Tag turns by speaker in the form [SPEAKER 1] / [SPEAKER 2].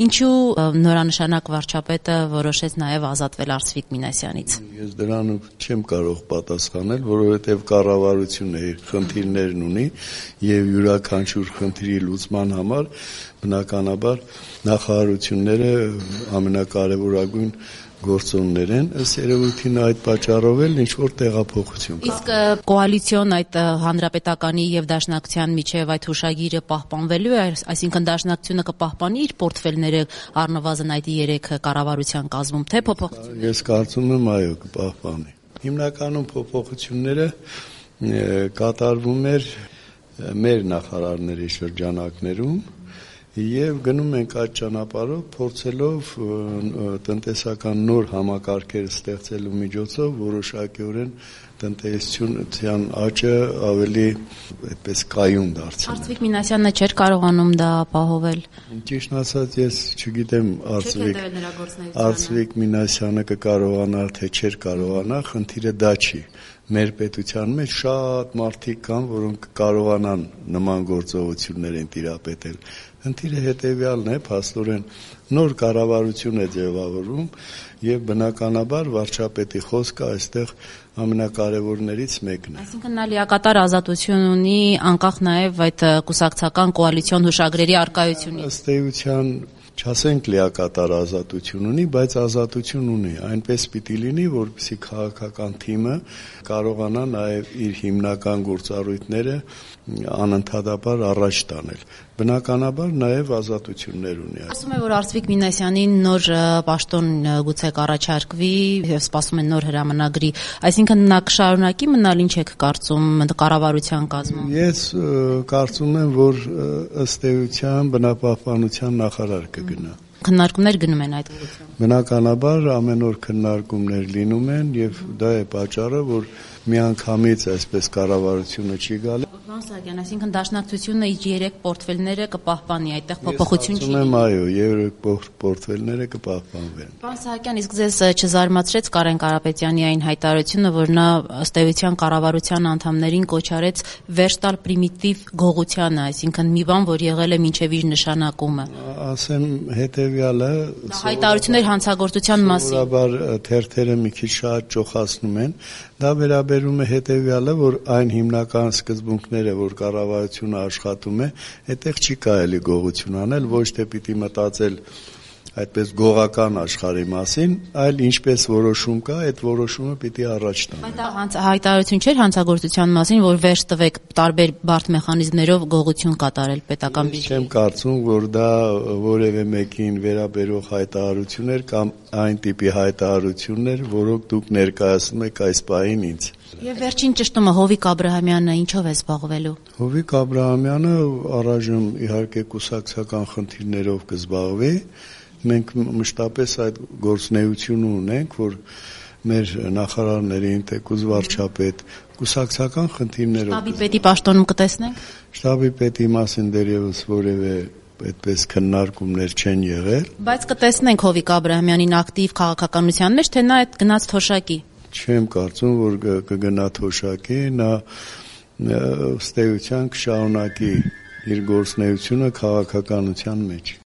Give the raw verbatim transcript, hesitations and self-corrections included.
[SPEAKER 1] Ինչու նորանշանակ վարչապետը որոշեց նաև ազատվել Արծվիկ Մինասյանից։
[SPEAKER 2] Ես դրան չեմ կարող պատասխանել, որովհետև կառավարությունը իր խնդիրներն ունի եւ յուրաքանչյուր խնդրի լուծման համար բնականաբար նախարարությունները ամենակարևորագույն գործոններ են, ըստ երևույթին այդ պատճառով էլ ինչ-որ տեղափոխություն կա։
[SPEAKER 1] Իսկ կոալիցիոն այդ հանրապետականի եւ Դաշնակցության միջև այդ հուշագիրը պահպանվելու է, այսինքն Դաշնակցությունը կպահպանի իր պորտֆելները առնվազն այդ երեք կառավարության կազմում, թե փոփոխություն։
[SPEAKER 2] Ես կարծում եմ այո, կպահպանի։ Հիմնականում փոփոխությունները կատարվում էր մեր նախարարների շրջանակներում եւ գնում ենք այդ ճանապարհով փորձելով տնտեսական նոր համակարգեր ստեղծելու միջոցով որոշակիորեն տնտեսության աճը ավելի այդպես կայուն դարձնել։
[SPEAKER 1] Արծվիկ Մինասյանը չէր կարողանում դա ապահովել։
[SPEAKER 2] Ճիշտ ասած ես չգիտեմ Արծվիկ Արծվիկ Մինասյանը կկարողանար թե չէր կարողանա, խնդիրը դա չի։ Մեր պետության մեջ շատ մարդիկ կան, որոնք կարողանան նման գործողություններին տիրապետել։ Խնդիրը հետևյալն է, փաստորեն նոր կառավարություն է ձևավորվում եւ բնականաբար վարչապետի խոսքը այստեղ ամենակարևորներից մեկն է։
[SPEAKER 1] Այսինքն նա լիակատար ազատություն ունի անկախ նաեւ այդ կուսակցական կոալիցիոն հուշագրերի առկայությունից։
[SPEAKER 2] Ըստ էության չասենք լիակատար ազատություն ունի, բայց ազատություն ունի։ Այնպես պիտի լինի, որպեսզի քաղաքական թիմը կարողանա նաև իր հիմնական գործառույթները անընդհատաբար առաջ տանել։ Բնականաբար նաև ազատություններ ունի։
[SPEAKER 1] Ասում է, որ Արծվիկ Մինասյանին նոր պաշտոն գուցե կառաջարկվի, սպասում են նոր հրամանագրի, այսինքն նա կշարունակի մնալ, ինչ եք կարծում կառավարության կազմում։
[SPEAKER 2] Ես կարծում եմ, որ ըստ էության բնապահպանության նախարար կգնա։
[SPEAKER 1] Քննարկումներ գնում են այդ ուղղությամբ։
[SPEAKER 2] Բնականաբար ամեն օր քննարկումներ լինում են եւ դա է պատճառը, որ միանգամից այսպես կառավարությունը չի գալի։
[SPEAKER 1] Պարոն Սահակյան, այսինքն Դաշնակցությունը իր երեք պորտֆելները կպահպանի, այդտեղ փոփոխություն չի։
[SPEAKER 2] Ես ասում եմ այո, երեք պորտֆելները կպահպանվեն։
[SPEAKER 1] Պարոն Սահակյան, իսկ ձեզ չզարմացրեց Կարեն Կարապետյանի այն հայտարարությունը, որ նա ըստ էության կառավարության անդամներին կոչ արեց վերջ տալ պրիմիտիվ գողությանը, այսինքն մի բան, որ եղել է մինչև իր նշանակումը։
[SPEAKER 2] Ասեմ հետեւյալը,
[SPEAKER 1] հայտարարություններ հանցագործության մասին։
[SPEAKER 2] Սովորաբար թերթերը մի քիչ շատ ճոխացնում են։ Դա վերաբերում է հետեւյալը, որ այն հիմնական սկզբունքները, որ կառավարությունը աշխատում է, այդտեղ չի կարելի գողություն անել, ոչ թե պիտի մտածել այդպես գողական աշխարհի մասին, այլ ինչպես որոշում կա, այդ որոշումը պիտի առաջ տանել։
[SPEAKER 1] Այդ հայտարարություն չէր հանցագործության մասին, որ վերջ տվեք տարբեր բարդ մեխանիզմներով գողություն կատարել պետական բյուջեից։
[SPEAKER 2] Չեմ կարծում, որ դա որևէ մեկին վերաբերող հայտարարություն էր կամ այն տիպի հայտարարություններ, որոնք դուք ներկայացնում եք այս պահին ինձ։
[SPEAKER 1] Եվ վերջին ճշտումը Հովիկ Աբրահամյանը ինչով է զբաղվելու։
[SPEAKER 2] Հովիկ Աբրահամյանը առայժմ իհարկե կուսակցական խնդիրներով կզբաղվի։ Մենք մշտապես այդ գործունեությունը ունենք, որ մեր նախարարներին, թեկուզ վարչապետ, կուսակցական խնդիրներով։
[SPEAKER 1] Շտաբի պետի պաշտոնում կտեսնենք։
[SPEAKER 2] Շտաբի պետի մասին դեռևս որևէ այդպես քննարկումներ չեն եղել։
[SPEAKER 1] Բայց կտեսնենք Հովիկ Աբրահամյանին ակտիվ քաղաքականության մեջ, թե նա այդ գնաց թոշակի։
[SPEAKER 2] Չեմ կարծում, որ կգնա թոշակի, նա ըստ էության կշարունակի իր գործունեությունը քաղաքականության մեջ։